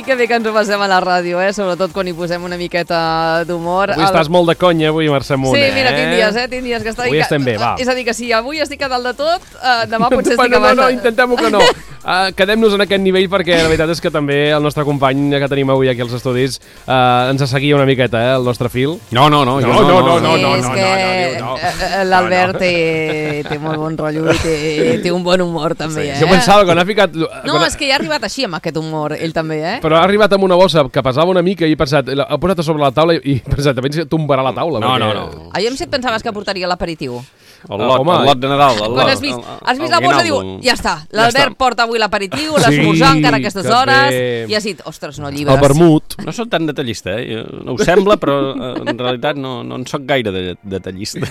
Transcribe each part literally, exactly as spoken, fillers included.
que bé que ens ho passem a la ràdio, eh? Sobretot quan hi posem una miqueta d'humor. Avui el... estàs molt de conya, avui, Mercè Munt, sí, eh? Sí, mira, tinc dies, eh? Tinc dies que està... Avui estem bé, va. És a dir, que si avui estic a dalt de tot, eh, demà potser estic bueno, a baix. No, no, intentem-ho que no. Uh, Quedem-nos en aquest nivell perquè la veritat és que també el nostre company que tenim avui aquí als estudis uh, ens seguia una miqueta, eh, el nostre fil. No, no, no. No, no, no, no, no, és no, que no, no. l'Albert té, té molt bon rotllo i té, té un bon humor també, sí. eh? Jo pensava que no ha ficat... No, és que ja ha arribat així amb aquest humor, ell també, eh? Però ha arribat amb una bossa que pesava una mica i he pensat, ha posat a sobre la taula i he pensat, també ens tombarà la taula. No, perquè... no, no. Ah, jo em sé et pensaves que portaria l'aperitiu. El lot, uh, el lot de Nadal. El Quan lot, has vist, el, el, has vist la bossa, diu, ja està, l'Albert ja porta avui l'aperitiu, l'esmorzar sí, encara a aquestes hores, bé. I has dit, ostres, no, llibres. El vermut. No soc tan detallista, eh? No ho sembla, però en realitat no, no en soc gaire de, detallista.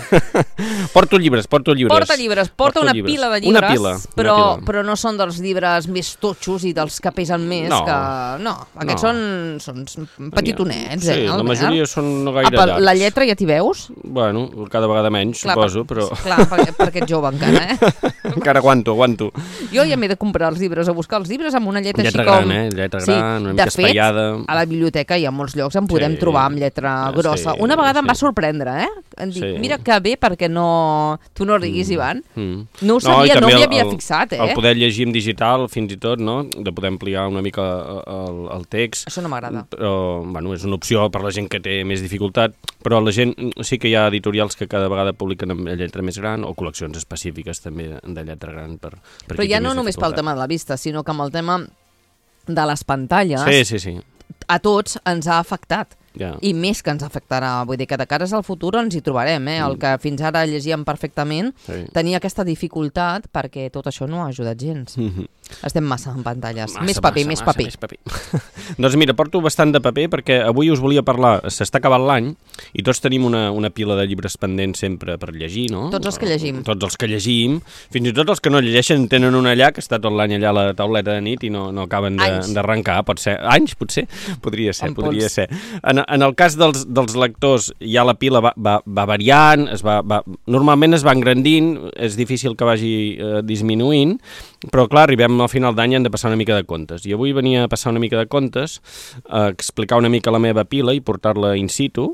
Porto llibres, porto llibres. Porta llibres, porta porto una llibres. pila de llibres, una pila, però, una pila. però no són dels llibres més totxos i dels que pesen més. No. Que... no, aquests no. són, són petitonets, sí, eh? la majoria són no gaire Apa, llargs. La lletra ja t'hi veus? Bueno, cada vegada menys, clar, suposo, però... Clar, perquè, perquè ets jove encara, eh? Encara aguanto, aguanto. Jo ja m'he de comprar els llibres, a buscar els llibres amb una lletra, lletra així com... gran, eh? Lletra gran, sí, una mica espaiada. De fet, a la biblioteca i a molts llocs en podem sí. trobar amb lletra grossa. Sí, una vegada sí. em va sorprendre, eh? Em dic, sí. mira que bé, perquè no... Tu no riguis, Ivan. Mm. No ho sabia, no, no m'hi havia el, fixat, eh? El poder llegir en digital, fins i tot, no? De poder ampliar una mica el, el text. Això no m'agrada. Però, bueno, és una opció per la gent que té més dificultat, però la gent... Sí que hi ha editorials que cada vegada publiquen amb lletra més gran, o col·leccions específiques també de lletra gran per, per però ja no només pel tema de la vista, sinó que amb el tema de les pantalles sí, sí, sí. a tots ens ha afectat. Ja. I més que ens afectarà, vull dir que de cares al futur ens hi trobarem, eh? El que fins ara llegíem perfectament sí. tenia aquesta dificultat perquè tot això no ha ajudat gens. Mm-hmm. Estem massa en pantalles. Massa, més paper, massa, més, massa, paper. més paper. Doncs mira, porto bastant de paper perquè avui us volia parlar, s'està acabant l'any i tots tenim una, una pila de llibres pendents sempre per llegir, no? Tots els que llegim. Tots els que llegim, fins i tot els que no llegeixen tenen una allà que està tot l'any allà a la tauleta de nit i no, no acaben d'arrencar, pot ser. Anys, potser? Podria ser, en podria pols. ser. En, en el cas dels, dels lectors, ja la pila va, va, va variant, es va, va, normalment es va engrandint, és difícil que vagi eh, disminuint, però clar, arribem al final d'any i hem de passar una mica de comptes. I avui venia a passar una mica de comptes, a explicar una mica la meva pila i portar-la in situ,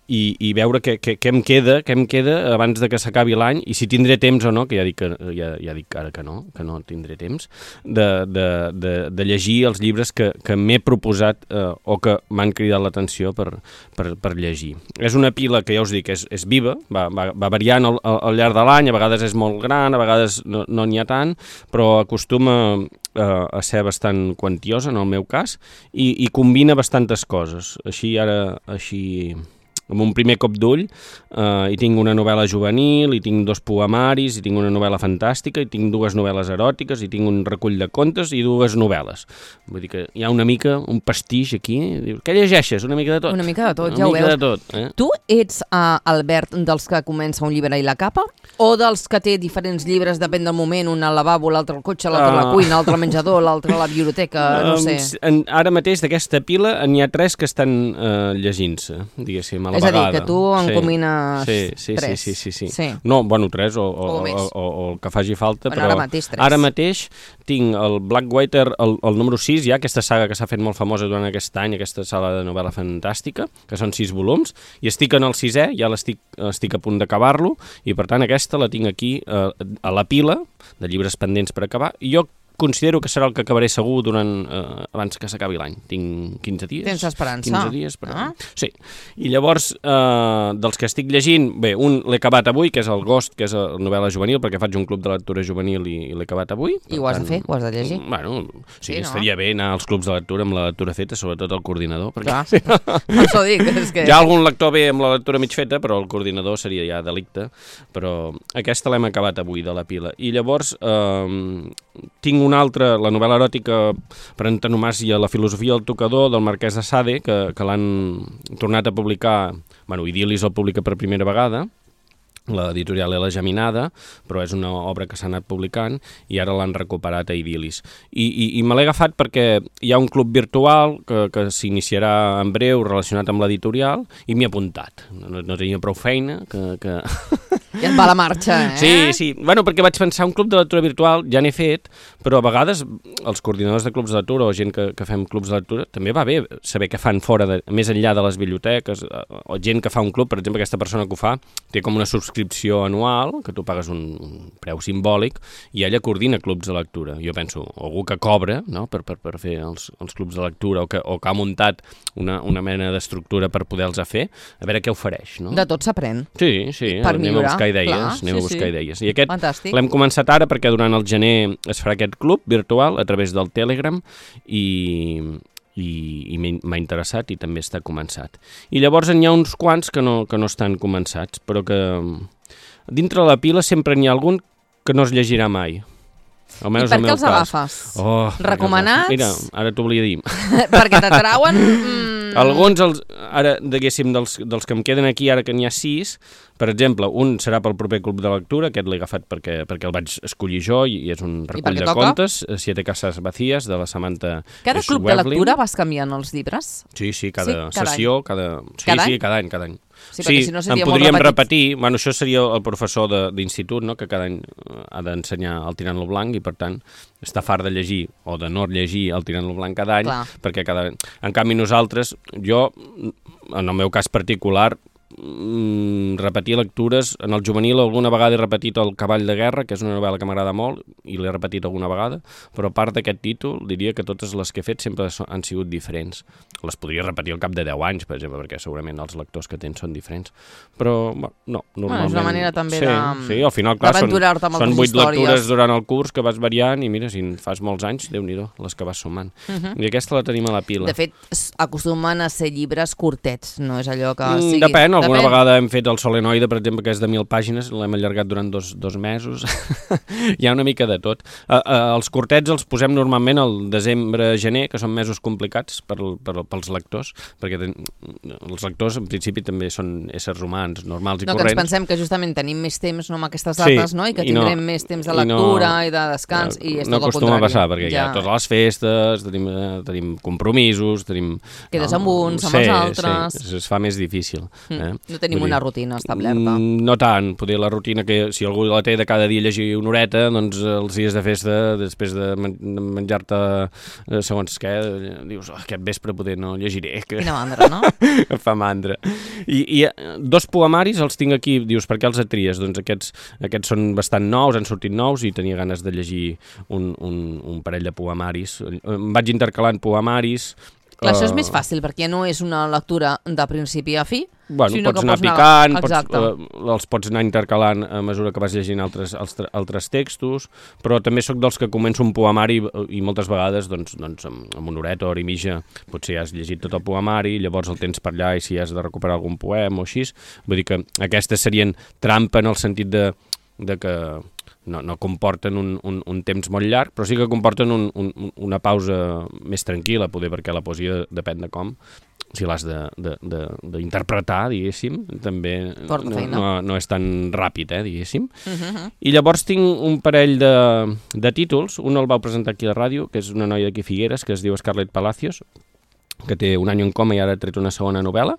i, i veure què, què, què em queda, què em queda abans de que s'acabi l'any, i si tindré temps o no, que ja dic, que, ja, ja dic ara que no, que no tindré temps, de, de, de, de llegir els llibres que, que m'he proposat eh, o que m'han cridat l'atenció per, per, per llegir. És una pila que ja us dic, és, és viva, va, va, va variant al, al llarg de l'any, a vegades és molt gran, a vegades no n'hi no ha tant, però acostuma eh, a ser bastant quantiosa, en el meu cas, i, i combina bastantes coses. Així ara, així... amb un primer cop d'ull, eh, hi tinc una novel·la juvenil, hi tinc dos poemaris, hi tinc una novel·la fantàstica, hi tinc dues novel·les eròtiques, hi tinc un recull de contes i dues novel·les. Vull dir que hi ha una mica, un pastix aquí. Què llegeixes? Una mica de tot. Una mica de tot, una ja ho veus. De tot, eh? Tu ets, uh, Albert, dels que comença un llibre i la capa? O dels que té diferents llibres, depèn del moment, un al lavabo, l'altre al cotxe, l'altre a la cuina, l'altre al menjador, l'altre a la biblioteca, no sé. Um, ara mateix d'aquesta pila n'hi ha tres que estan uh, llegint-se, diguéssim, a la és vegada. És a dir, que tu encomines sí, sí, tres. Sí, sí, sí, sí. sí. No, bueno, tres o, o, o, o, o, o el que faci falta. Bueno, però ara mateix tres. Ara mateix tinc el Blackwater, el, el número sis, ja, aquesta saga que s'ha fet molt famosa durant aquest any, aquesta sala de novel·la fantàstica, que són sis volums, i estic en el sisè, ja l'estic estic a punt d'acabar-lo, i per tant aquesta la tinc aquí eh, a la pila de llibres pendents per acabar, i jo considero que serà el que acabaré segur durant eh, abans que s'acabi l'any. Tinc quinze dies. Tens esperança. quinze dies, però... Ah. Sí. I llavors, eh, dels que estic llegint, bé, un l'he acabat avui, que és el Ghost, que és la novel·la juvenil, perquè faig un club de lectura juvenil i, i l'he acabat avui. I ho has tant, de fer? Ho has de llegir? Bueno, sí, sí no? estaria bé anar als clubs de lectura amb la lectura feta, sobretot el coordinador. Perquè... Clar, sí. Això dic. És que... Hi ha algun lector bé amb la lectura mig feta, però el coordinador seria ja delicte. Però aquesta l'hem acabat avui, de la pila. I llavors eh, tinc una altra, la novel·la eròtica per antonomàsia, La filosofia del tocador, del Marquès de Sade, que, que l'han tornat a publicar, bueno, Idil·lis el publica per primera vegada, l'editorial és La Geminada, però és una obra que s'ha anat publicant i ara l'han recuperat a Idil·lis. I, i, i me l'he agafat perquè hi ha un club virtual que, que s'iniciarà en breu relacionat amb l'editorial i m'hi he apuntat. No, no tenia prou feina que... que... I et va la marxa, eh? Sí, sí. Bueno, perquè vaig pensar, un club de lectura virtual ja n'he fet, però a vegades els coordinadors de clubs de lectura o gent que, que fem clubs de lectura també va bé saber què fan fora, de, més enllà de les biblioteques, o gent que fa un club, per exemple, aquesta persona que ho fa, té com una subscripció anual, que tu pagues un, un preu simbòlic, i ella coordina clubs de lectura. Jo penso, algú que cobra, no?, per, per, per fer els, els clubs de lectura, o que, o que ha muntat una, una mena d'estructura per poder-los fer, a veure què ofereix, no? De tot s'aprèn. Sí, sí, per anem millorar, a buscar idees, clar, anem sí, a buscar sí. idees. I aquest Fantàstic. l'hem començat ara perquè durant el gener es farà aquest club virtual a través del Telegram i, i, i m'ha interessat i també està començat. I llavors n'hi ha uns quants que no, que no estan començats, però que dintre la pila sempre n'hi ha algun que no es llegirà mai. I per què els agafes? Oh, recomanats? Mira, ara t'ho volia dir. Perquè t'atrauen... Mm... Alguns, els, ara, diguéssim, dels, dels que em queden aquí, ara que n'hi ha sis, per exemple, un serà pel proper club de lectura, aquest l'he agafat perquè, perquè el vaig escollir jo i, i és un recull de toca? contes, Siete casas vacías, de la Samantha Cada club Schweblin. de lectura vas canviant els llibres? Sí, sí, cada, sí, cada sessió, cada... Sí, cada sí, any? cada any, cada any. Sí, sí, si no en podríem repetir, bueno, això seria el professor d'institut, no?, que cada any ha d'ensenyar el Tirant-lo Blanc i per tant està fart de llegir o de no llegir el Tirant-lo Blanc cada any. Clar. Perquè cada... En canvi nosaltres, jo, en el meu cas particular, mm, repetir lectures. En el juvenil alguna vegada he repetit El cavall de guerra, que és una novel·la que m'agrada molt i l'he repetit alguna vegada, però a part d'aquest títol diria que totes les que he fet sempre han sigut diferents. Les podria repetir al cap de deu anys, per exemple, perquè segurament els lectors que tens són diferents, però no, normalment... Bueno, és una manera també sí, de... Sí, al final, clar, són, són vuit històries. lectures durant el curs que vas variant i mira, si en fas molts anys, Déu-n'hi-do, les que vas sumant. Uh -huh. I aquesta la tenim a la pila. De fet, acostumen a ser llibres curtets, no és allò que mm, sigui... Depèn, alguna Depèn. vegada hem fet el Solenoide, per exemple, que és de mil pàgines, l'hem allargat durant dos, dos mesos. Hi ha una mica de tot. Uh, uh, els curtets els posem normalment al desembre-gener, que són mesos complicats per, per, pels lectors, perquè ten, els lectors en principi també són éssers humans, normals i no, corrents. Que ens pensem que justament tenim més temps no, amb aquestes dates, sí, no? I que i no, tindrem més temps de lectura i, no, i de descans, no, i és no tot el contrari. No acostuma a passar, perquè ja. hi ha totes les festes, tenim, tenim compromisos, tenim... Quedes no, amb uns, amb sí, els altres... Sí, es fa més difícil. Mm, eh? no tenim Vull una dir, rutina establerta. No tant, poder la rutina que si algú la té de cada dia llegir una horeta, doncs els dies de festa, després de menjar-te segons què, dius, oh, aquest vespre poder no llegiré. Que... Quina mandra, no? Fa mandra. I, I dos poemaris els tinc aquí, dius, per què els atries? Doncs aquests, aquests són bastant nous, han sortit nous i tenia ganes de llegir un, un, un parell de poemaris. Em vaig intercalant poemaris. Clar, uh... això és més fàcil, perquè no és una lectura de principi a fi, bueno, sinó pots que anar pots picant, anar... pots, uh, els pots anar intercalant a mesura que vas llegint altres, altres, altres textos, però també sóc dels que començo un poemari i, i moltes vegades doncs, doncs, amb, amb una horeta, hora i mitja, potser ja has llegit tot el poemari, llavors el tens per allà i si has de recuperar algun poema o així. Vull dir que aquestes serien trampa en el sentit de, de que no, no comporten un, un, un temps molt llarg, però sí que comporten un, un, una pausa més tranquil·la, poder, perquè la poesia depèn de com, si l'has d'interpretar, diguéssim, també no, no, no és tan ràpid, eh, diguéssim. Uh -huh. I llavors tinc un parell de, de títols, un el vau presentar aquí a la ràdio, que és una noia d'aquí Figueres, que es diu Scarlett Palacios, que té un any en coma i ara ha tret una segona novel·la,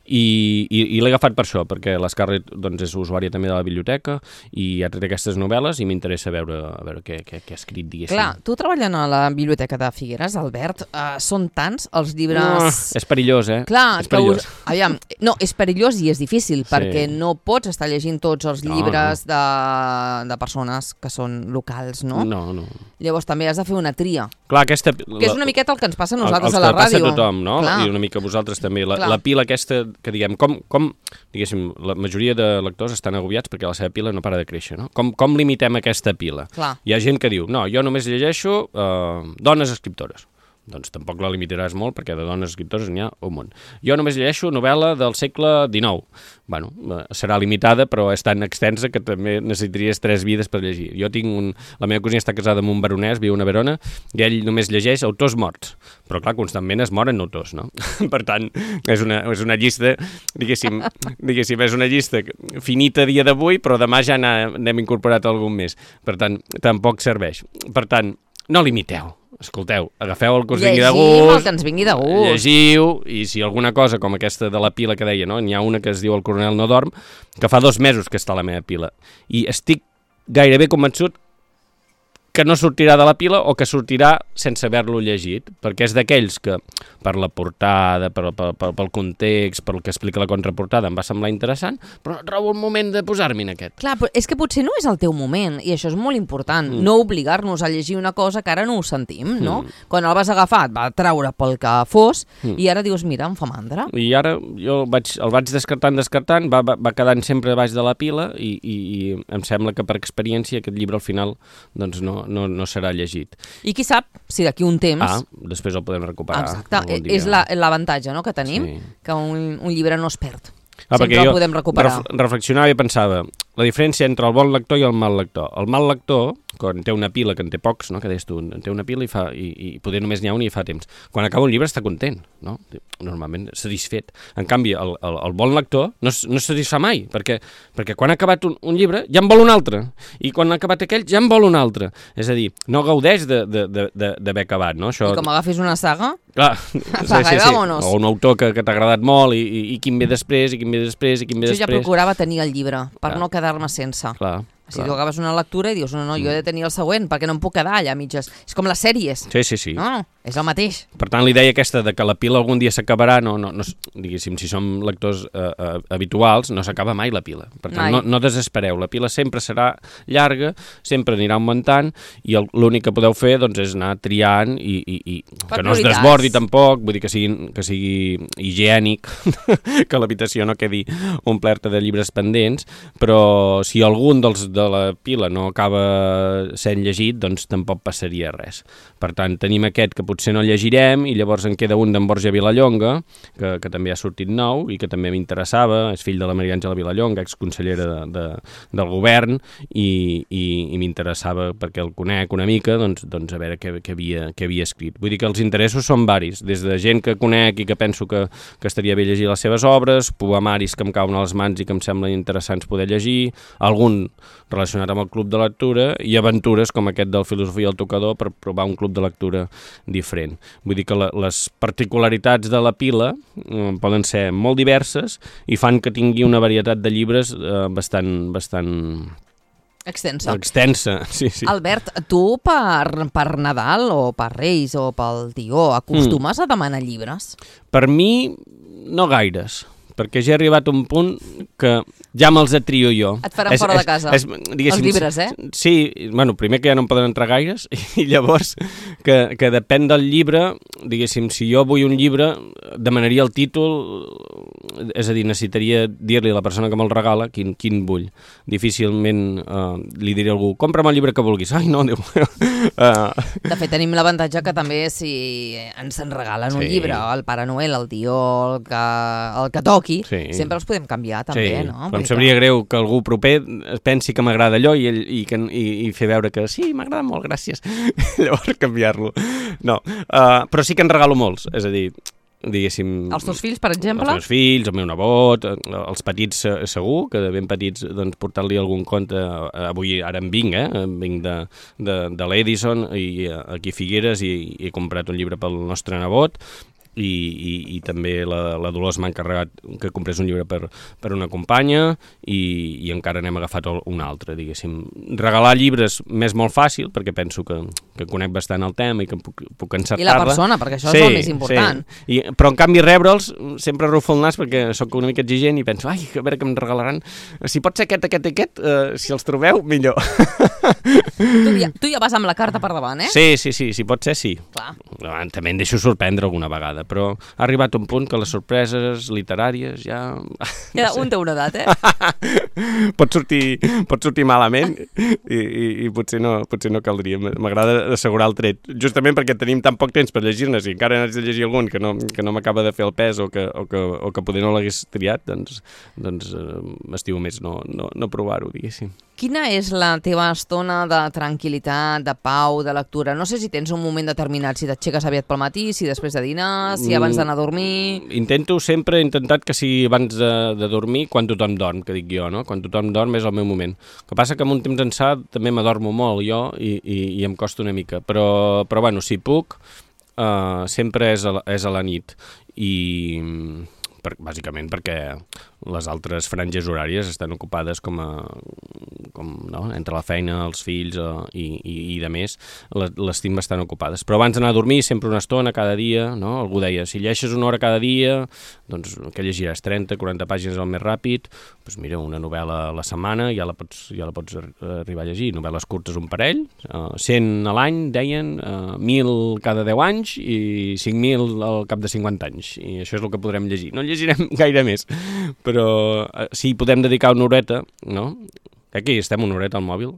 i, i, i l'he agafat per això, perquè la Scarlett doncs, és usuària també de la biblioteca i ha tret aquestes novel·les i m'interessa veure, a veure què, què, què ha escrit, diguéssim. Clar, tu treballant a la biblioteca de Figueres, Albert, uh, són tants els llibres... No, és perillós, eh? Clar, és perillós. Que us... Aviam, no, és perillós i és difícil, sí. perquè no pots estar llegint tots els llibres no, no. De, de persones que són locals, no? No, no. Llavors també has de fer una tria. Clar, aquesta... Que és una miqueta el que ens passa a nosaltres el, a la ràdio. El que passa a tothom, no? Clar. I una mica a vosaltres també. La, la pila aquesta, que diguem, com, com, diguéssim, la majoria de lectors estan agobiats perquè la seva pila no para de créixer, no? Com, com limitem aquesta pila? Clar. Hi ha gent que diu, no, jo només llegeixo uh, dones escriptores. Doncs tampoc la limitaràs molt, perquè de dones escriptores n'hi ha un munt. Jo només llegeixo novel·la del segle dinou. Bueno, serà limitada, però és tan extensa que també necessitaries tres vides per llegir. Jo tinc un... La meva cosina està casada amb un baronès, viu a Verona, i ell només llegeix autors morts. Però, clar, constantment es moren autors, no? Per tant, és una, és una llista, diguéssim, diguéssim, és una llista finita a dia d'avui, però demà ja n'hem incorporat algun més. Per tant, tampoc serveix. Per tant, no limiteu. escolteu, agafeu el que us vingui de gust. Llegim el que ens vingui de gust. Llegiu, i si alguna cosa com aquesta de la pila que deia, no? N'hi ha una que es diu El coronel no dorm, que fa dos mesos que està a la meva pila. I estic gairebé convençut que no sortirà de la pila o que sortirà sense haver-lo llegit, perquè és d'aquells que per la portada, per, per, per, pel context, pel que explica la contraportada, em va semblar interessant, però no trobo el moment de posar-m'hi en aquest. Clar, però és que potser no és el teu moment, i això és molt important, mm. no obligar-nos a llegir una cosa que ara no ho sentim, no? Mm. Quan el vas agafar, et va treure pel que fos, mm. i ara dius, mira, em fa mandra. I ara jo el vaig, el vaig descartant, descartant, va, va, va quedant sempre baix de la pila, i, i, i em sembla que per experiència aquest llibre al final doncs no, no, no serà llegit. I qui sap si d'aquí un temps... Ah, després el podem recuperar. Exacte, és l'avantatge la, no, que tenim, sí. que un, un llibre no es perd. Ah, sempre el podem recuperar. Ref, reflexionava i pensava, la diferència entre el bon lector i el mal lector. El mal lector, quan té una pila, que en té pocs, no? Que deies tu, en té una pila i, fa, i, i poder només n'hi ha un i fa temps. Quan acaba un llibre està content, no? Normalment satisfet. En canvi, el, el, el bon lector no, no es satisfà mai, perquè, perquè quan ha acabat un, un llibre ja en vol un altre, i quan ha acabat aquell ja en vol un altre. És a dir, no gaudeix d'haver acabat, no? Això... I com agafis una saga, clar, apaga sí, sí, sí. i vámonos. O un autor que, que t'ha agradat molt i, i, i quin ve després, i quin ve després, i quin ve jo després. Jo ja procurava tenir el llibre, per clar. no quedar-me sense. Clar. Si tu agafes una lectura i dius, no, no, jo he de tenir el següent, perquè no em puc quedar allà a mitges. És com les sèries. Sí, sí, sí. No, és el mateix. Per tant, l'idea aquesta de que la pila algun dia s'acabarà, no, no, no, diguéssim, si som lectors eh, eh, habituals, no s'acaba mai la pila. Per tant, no, no desespereu. La pila sempre serà llarga, sempre anirà augmentant, i l'únic que podeu fer doncs, és anar triant i, i, i que no es desbordi tampoc, vull dir que sigui, que sigui higiènic, que l'habitació no quedi omplerta de llibres pendents, però si algun dels de la pila no acaba sent llegit, doncs tampoc passaria res. Per tant, tenim aquest que potser no llegirem i llavors en queda un d'en Borja Vilallonga, que, que també ha sortit nou i que també m'interessava, és fill de la Maria Àngela Vilallonga, exconsellera de, de, del govern, i, i, i m'interessava perquè el conec una mica, doncs, doncs a veure què, què, havia, què havia escrit. Vull dir que els interessos són varis, des de gent que conec i que penso que, que estaria bé llegir les seves obres, poemaris que em cauen a les mans i que em semblen interessants poder llegir, algun relacionat amb el club de lectura i aventures com aquest del Filosofia al tocador per provar un club de lectura diferent. Vull dir que la, les particularitats de la pila eh, poden ser molt diverses i fan que tingui una varietat de llibres eh, bastant... bastant extensa. Extensa, sí, sí. Albert, tu per, per Nadal o per Reis o pel Tió acostumes mm. a demanar llibres? Per mi, no gaires, perquè ja he arribat a un punt que ja me'ls trio jo. Et faran és, fora és, de casa, és, els llibres, eh? Sí, bueno, primer que ja no em poden entrar gaires, i llavors que, que depèn del llibre, diguéssim, si jo vull un llibre, demanaria el títol, és a dir, necessitaria dir-li a la persona que me'l regala quin, quin vull. Difícilment uh, li diré a algú, compra'm el llibre que vulguis. Ai, no, Déu meu. Uh... De fet, tenim l'avantatge que també si ens en regalen sí. un llibre, el Pare Noel, el Tió, el que, el que toqui, sí. sempre els podem canviar, també, sí. no? Però em sabria greu que algú proper pensi que m'agrada allò i, i, i, i fer veure que sí, m'agrada molt, gràcies. Llavors canviar-lo. No, uh, però sí que en regalo molts, és a dir, diguéssim... Els teus fills, per exemple? Els meus fills, el meu nebot, els petits segur, que de ben petits doncs, portar-li algun conte, avui ara en vinc, eh? En vinc de, de, de l'Edison i aquí a Figueres i, i he comprat un llibre pel nostre nebot, I, i, i també la, la Dolors m'ha encarregat que comprés un llibre per, per una companya i, i encara n'hem agafat un altre, diguéssim. Regalar llibres m'és molt fàcil perquè penso que, que conec bastant el tema i que puc, puc encertar-la. I la persona, perquè això sí, és el més important. Sí. I, però en canvi rebre'ls sempre rufo el nas perquè sóc una mica exigent i penso, ai, a veure què em regalaran. Si pot ser aquest, aquest, aquest, uh, si els trobeu, millor. Tu ja, tu ja vas amb la carta per davant, eh? Sí, sí, sí, si pot ser, sí. Clar. També em deixo sorprendre alguna vegada, però ha arribat un punt que les sorpreses literàries ja... Ja no un té una edat, eh? pot, sortir, pot sortir malament i, i, i potser, no, potser no caldria. M'agrada assegurar el tret, justament perquè tenim tan poc temps per llegir-nes i encara n'haig de llegir algun que no, que no m'acaba de fer el pes o que, o que, o que poder no l'hagués triat, doncs, doncs eh, m'estimo més no, no, no provar-ho, diguéssim. Quina és la teva estona de tranquil·litat, de pau, de lectura? No sé si tens un moment determinat, si t'aixeques aviat pel matí, si després de dinar, si abans d'anar a dormir... Intento sempre, he intentat que sigui abans de, de dormir, quan tothom dorm, que dic jo, no? quan tothom dorm és el meu moment. El que passa que amb un temps ençà també m'adormo molt jo i, i, i em costa una mica, però, però bueno, si puc, uh, sempre és a, la, és a la nit. I per, bàsicament perquè les altres franges horàries estan ocupades com a, com, no? entre la feina, els fills uh, i, i, i de més, les, les tinc bastant ocupades. Però abans d'anar a dormir, sempre una estona cada dia, no? Algú deia, si llegeixes una hora cada dia, doncs que llegiràs trenta, quaranta pàgines al més ràpid, doncs mira, una novel·la a la setmana ja la pots, ja la pots arribar a llegir, novel·les curtes un parell, uh, cent a l'any, deien, uh, mil cada deu anys i cinc mil al cap de cinquanta anys, i això és el que podrem llegir. No llegirem gaire més, però però si podem dedicar una horeta, no? Aquí estem una horeta al mòbil.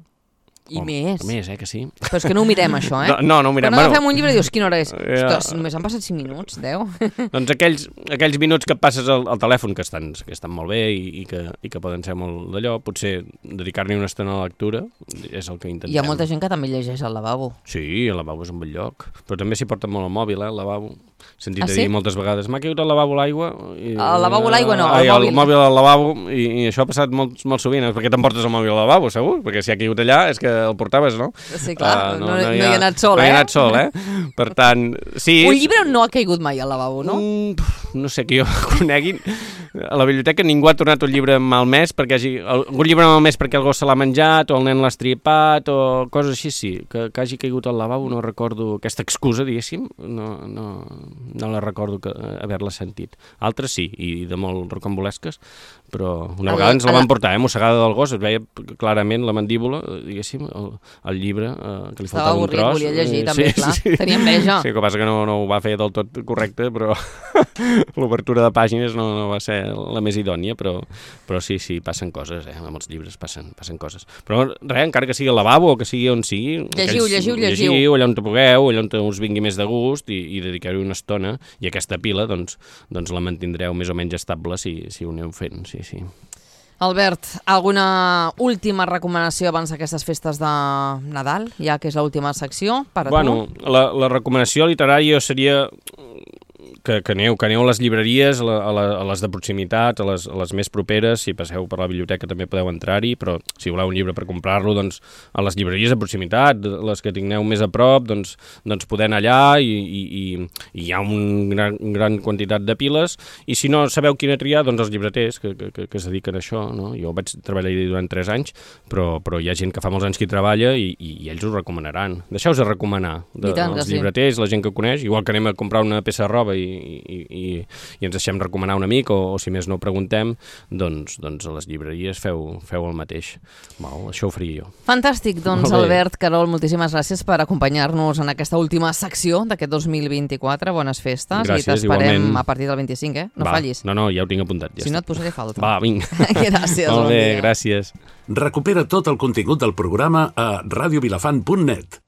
I oh, més. Més, eh, que sí. Però és que no ho mirem, això, eh? No, no, no ho mirem. Quan agafem bueno, un llibre i dius, quina hora és? Ja. Ostres, només han passat cinc minuts, deu. Doncs aquells, aquells minuts que passes al, al telèfon, que estan, que estan molt bé i, i, que, i que poden ser molt d'allò, potser dedicar-n'hi una estona a la lectura és el que intentem. Hi ha molta gent que també llegeix al lavabo. Sí, el lavabo és un bell lloc. Però també s'hi porta molt el mòbil, eh, el lavabo. Sentit ah, a sí? dir moltes vegades, m'ha caigut al lavabo l'aigua. I, al lavabo l'aigua no, ai, al mòbil. El mòbil al lavabo, i, i això ha passat molt, molt sovint. Perquè t'emportes el mòbil al lavabo, segur? Perquè si ha caigut allà és que el portaves, no? Sí, clar, uh, no, no, no, hi ha, no hi ha anat sol, no eh? No hi ha anat sol, eh? Per tant, sí... Un llibre no ha caigut mai al lavabo, no? Mm, no sé, que jo coneguin. A la biblioteca ningú ha tornat un llibre malmès perquè hagi... Algun llibre malmès perquè algú se l'ha menjat o el nen l'ha estripat o coses així, sí. Que, que hagi caigut al lavabo no recordo aquesta excusa, diguéssim. No, no, no la recordo que haver-la sentit. Altres sí, i de molt rocambolesques, però una vegada ens la van portar, eh, mossegada del gos, es veia clarament la mandíbula, diguéssim, el, el llibre, eh, que li faltava un tros. Estava avorrit, volia llegir, eh, també, sí, clar. Sí. Tenia enveja. Sí, el que passa que no, no ho va fer del tot correcte, però l'obertura de pàgines no, no va ser la més idònia, però, però sí, sí, passen coses, eh, amb els llibres passen, passen coses. Però res, encara que sigui al lavabo o que sigui on sigui... Llegiu, aquells, llegiu, llegiu. Llegiu, allà on te pugueu, allà on us vingui més de gust i, i dedicar-hi una estona, i aquesta pila, doncs, doncs la mantindreu més o menys estable si, si ho aneu fent, sí, sí. Albert, alguna última recomanació abans d'aquestes festes de Nadal, ja que és l'última secció per a bueno, tu? Bueno, la, la recomanació literària seria que, que, aneu, que aneu a les llibreries, a, la, a, la, a les de proximitat, a les, a les més properes, si passeu per la biblioteca també podeu entrar-hi, però si voleu un llibre per comprar-lo, doncs a les llibreries de proximitat, les que tingueu més a prop, doncs, doncs poder anar allà i, i, i, i hi ha un gran, un gran quantitat de piles, i si no sabeu quina triar, doncs els llibreters que, que, que es dediquen a això, no? Jo vaig treballar durant tres anys, però, però hi ha gent que fa molts anys que hi treballa i, i, i ells ho recomanaran. Deixeu-vos de recomanar de, tant, els sí. llibreters, la gent que coneix, igual que anem a comprar una peça de roba i I, i, i ens deixem recomanar un amic o, o si més no ho preguntem, doncs, doncs a les llibreries feu, feu el mateix. Val, això ho faria jo. Fantàstic, doncs Albert Querol, moltíssimes gràcies per acompanyar-nos en aquesta última secció d'aquest dos mil vint-i-quatre. Bones festes. Gràcies, i t'esperem igualment. a partir del vint-i-cinc, eh? No Va, fallis. No, no, ja ho tinc apuntat. Ja si està. no et posaré falta. Va, vinga. Gràcies. Molt bé, bon dia. gràcies. Recupera tot el contingut del programa a radios vilafant punt net.